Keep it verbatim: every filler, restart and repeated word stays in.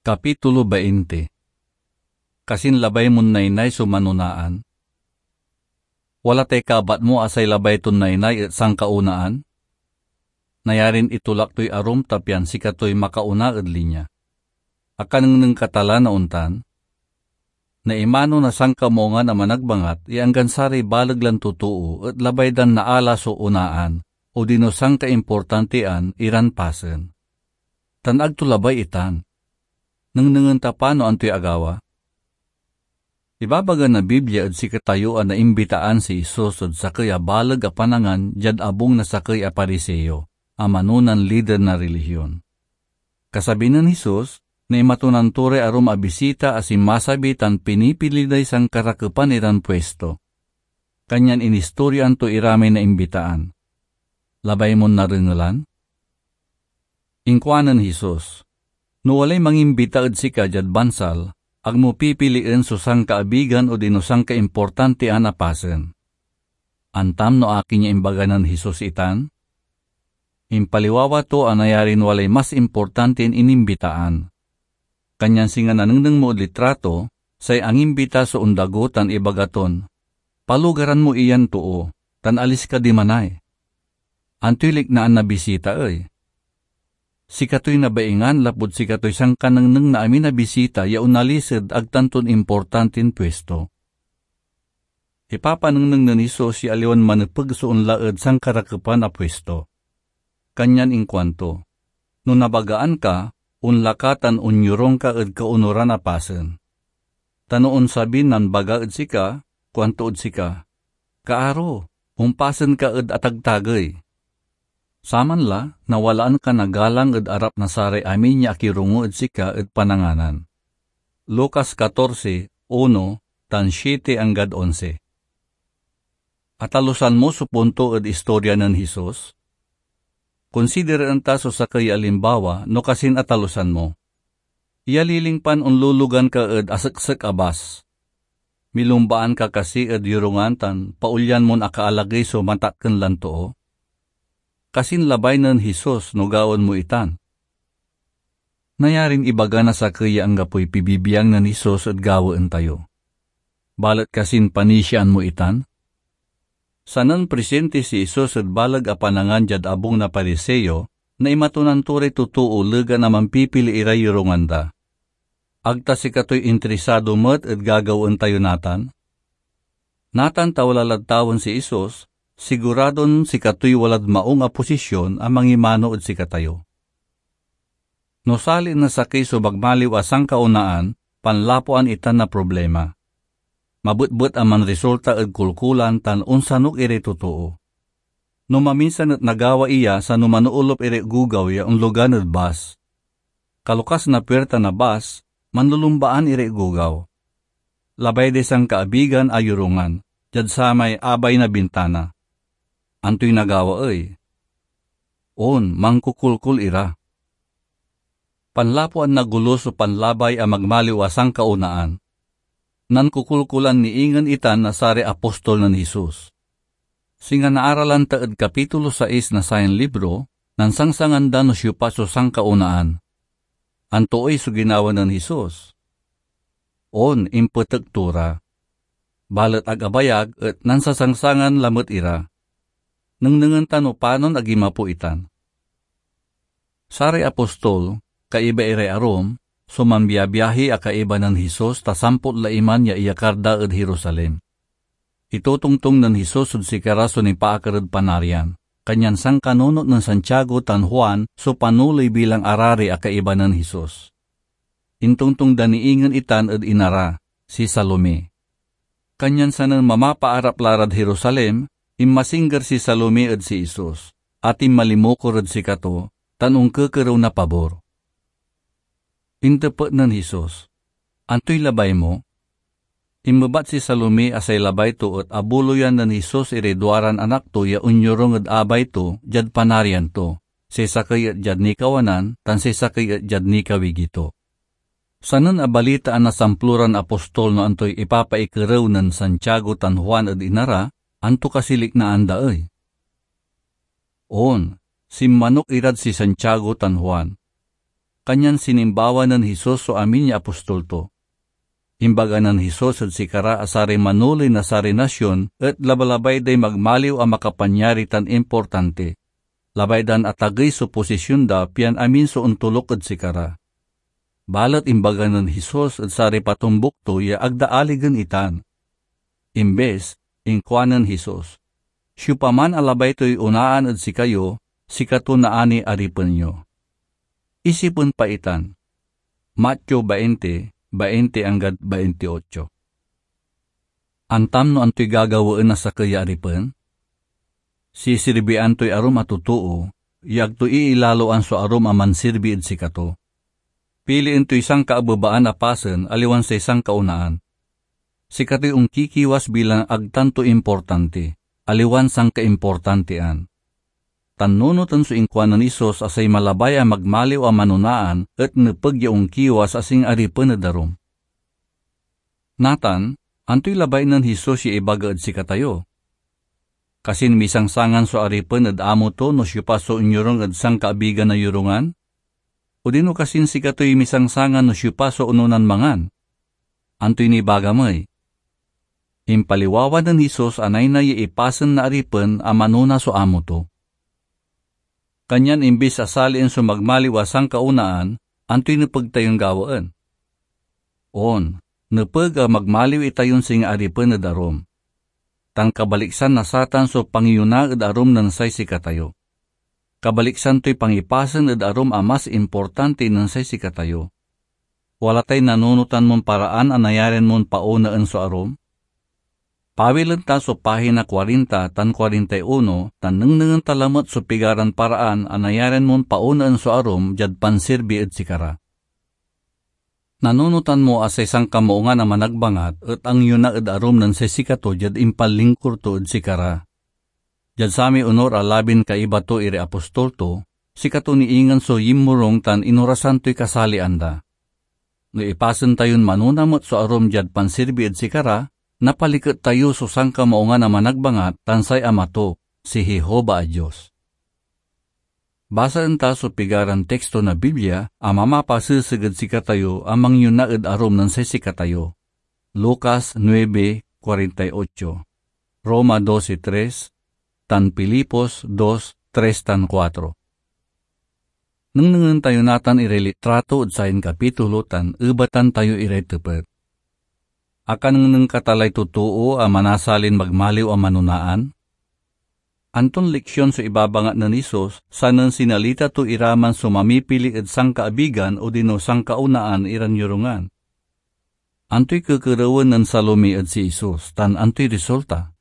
Kapitulo veinte. Kasin labay mon naynay so manonaan? Wala tay kabat mo a say labay ton naynay et sankaonaan? Nayarin itolak toy arum ta pian sikatoy makaona ed linya. Akanengneng ka ta la na ontan? Naimano na sankamungan a managbangat ya anggan saray baleg lan totoo et labay dan naala so onaan odino sankaimportantian iran pasen. Tan ag to labay itan. Nengnengen ta pa no antoy agawa. Ibabaga na Biblia ed sikatayo a naimbitaan si Jesus ed sakey a baleg a panangan diad abung na sakey a Pariseo a manonan lider na rilihion. Kasabi nen Jesus, naimatonan to ray arum a bisita a sinmasabi tan pinipili day sankarakepan iran puesto. Kanyan inistoryoan to ira may naimbitaan. Labay mon narengelan? Inkuanen Jesus, "No walay mangimbita ed sika diad bansal, ag mo pipilien so sankaabigan odino sankaimportantian a pasen." Antam no akin ya imbaga nen Jesus itan? Impaliwawa to a nayarin walay mas importantin inimbitaan. Kanyan singa nanengneng mo ed litrato, say angimbita so ondago tan ibaga ton, "Palugaran mo iyan too, tan alis ka dimanay." Antoy liknaan na bisita ey? Sikatoy nabaingan lapud sikatoy sankanengneng na amin a bisita ya onalis ed ag tan ton importantin puesto. Ipapanengneng nen Jesus ya aliwan manepeg so onla ed sankarakepan a puesto. Kanyan inkuanto, "No nabagaan ka, onla ka tan onyorung ka ed kaonuran a pasen." Ta no onsabi nan baga ed sika, kuanto ed sika, "Kaaro, ompasen ka ed atagtagey." Saman la, nawalaan ka na galang ed arap na saray amin ya akirongo ed sika ed pananganan. Lucas catorce, uno, tan siete anggad onse. Atalusan mo so punto ed istorya nen Jesus? Konsideraen ta so sakey ya alimbawa no kasin atalusan mo. Iyaliling pan onlulugan ka ed aseksek a bas. Milumbaan ka kasi ed yorungan tan paolyan mon akaalagey so matakken lan too? Kasin labay nen Jesus no gawaen mo itan? Nayarin ibaga na sakey ya anggapoy pibibiang nen Jesus ed gawaen tayo. Balet kasin panisiaan mo itan? Sanen prisinti si Jesus ed baleg a panangan diad abung na Pariseo, naimatonan to ray totoo legan a mampipili iray yorungan da. Ag ta sikatoy interesado met ed gagawaen tayo natan? Natan ta wala lad tawen si Jesus, siguradon sikatoy walad maung a posisyon a mangimano ed sikatayo. No salien na sakey so magmaliw a sankaonaan, panlapuan itan na problima. Mabetbet a manresulta ed kolkolan tan onsanok iray totoo. No maminsan et nagawa iya, sano manoolop iray gugaw ya onlogan ed bas. Kalukas na puirta na bas, manlulumbaan iray gugaw. Labay day sankaabigan a yorungan diad samay abay na bintana. Antoy nagawa ey? On, mankokolkol ira. Panlapuan na golo so panlabay a magmaliw a sankaonaan. Nankokolkolan ni ingen itan na saray apostol nen Jesus. Singa naaralan ta ed kapitulo sais na sayan libro, nansangsangan da no siopa so sankaonaan. Anto ey so ginawa nen Jesus? On, impetek to ra. Balet ag abayag et nansasangsangan lamet ira. Nengnengen ta no panon ag inmapo itan. Saray apostol, kaiba iray arum, so manbiabiahi a kaiba nen Jesus ta sampot la iman ya iyakar da ed Jerusalem. Itotongtong nen Jesus ed sikara so nipaakar ed Panarian, kanyan sankanunot nen Santiago tan Juan so panoley bilang arari a kaiba nen Jesus. Intongtong da ni ingen itan ed ina ra, si Salome. Kanyan sanen mamapaarap la rad Jerusalem, inmasingger si Salome ed si Jesus, a tinmalimukor ed sikato, tan onkekerew na pabor. Intepet nen Jesus, "Antoy labay mo?" Inmebat si Salome a say labay to et abuloyan nen Jesus iray duaran anak to ya onyorung ed abay to diad Panarian to, say sakey et diad nikawanan tan say sakey et diad nikawigi to. Sanen abalitaan na samploran apostol no antoy ipapaikerew nen Santiago tan Juan ed ina ra, anto kasi liknaan da ey? On, sinmanok irad si Santiago tan Juan. kanyan sinimbawa nen Jesus so amin ya apostol to. Imbaga nen Jesus ed sikara a saray manoley na saray nasion et labalabay day magmaliw a makapanyari tan importante. Labay dan atagey so posisyon da pian amin so ontoluk ed sikara. Balet imbaga nen Jesus ed saray patombuk to ya ag da aligen itan. Imbes, inkuanen Jesus, "Siopaman a labay toy onaan ed sikayo, sikato naani aripen yo." Isipen pa itan. Mateo bainte, bainte anggad baintiotso. Antam no antoy gagawaen na sakey ya aripen? Sisirbian toy arum a totoo, ya ag to iilaloan so arum a mansirbi ed sikato. Pilien toy sankaabebaan a pasen, aliwan say sankaonaan. Sikatoy onkikiwas bilang ag tanto importante, aliwan sankaimportantian. Tan nunoten so inkuanen Jesus a say malabay a magmaliw a manonaan et nepeg ya onkiwas a singa aripen ed arum. Natan, antoy labay nen Jesus ya ibaga ed sikatayo? Kasin misangsangan so aripen ed amo to no siopa so onyorung ed sankaabigan a yorungan? Odino kasin sikatoy misangsangan no siopa so ononan mangan? Antoy nibaga mi? Impaliwawa nen Jesus a naynay ya ipasen na aripen a manona so amo to. Kanyan imbis a salien so magmaliw a sankaonaan, antoy nepeg tayon gawaen? On, nepeg a magmaliw itayon singa aripen ed arum. Tan kabaliksan na satan so pangiyona ed arum nen say sikatayo. Kabaliksan toy pangipasen ed arum a mas importante nen say sikatayo. Wala tay nanunotan mon paraan a nayarian mon paonaen so arum? Pawilen ta so pahina kuarinta tan kuarintay uno tan nengnengen ta lamet so pigaran paraan a nayarian mon paonaen so arum diad pansirbi ed sikara. Nanunotan mo a say Sankamaungan a Managbangat et angiyona ed arum nen say sikato diad impanlingkur to ed sikara. Diad samay onur a labin kaiba to iray apostol to, sikato ni ingen so yinmurong tan inorasan toy kasalian da. No ipasen tayon manona met so arum diad pansirbi ed sikara, napaliket tayo so Sankamaungan a Managbangat tan say Ama to, si Jehovah a Dios. Basaen ta so pigaran teksto na Biblia a mamapaseseg ed sikatayo a mangyona ed arum nen say sikatayo. Lucas nuebe kuarenta y ocho, Roma doce tres, tan Filipos dos, tres tan kuatro. Nengnengen tayo natan iray litrato ed sayan kapitulo tan ebatan tayo iray tepet. Akanengneng ka ta lay totoo a manasalin magmaliw a manonaan? Anton leksion so ibabangat nen Jesus, sanen sinalita to iraman so mamipili ed sankaabigan odino sankaonaan iran yorungan? Antoy kekerewen nen Salome ed si Jesus, tan antoy resulta?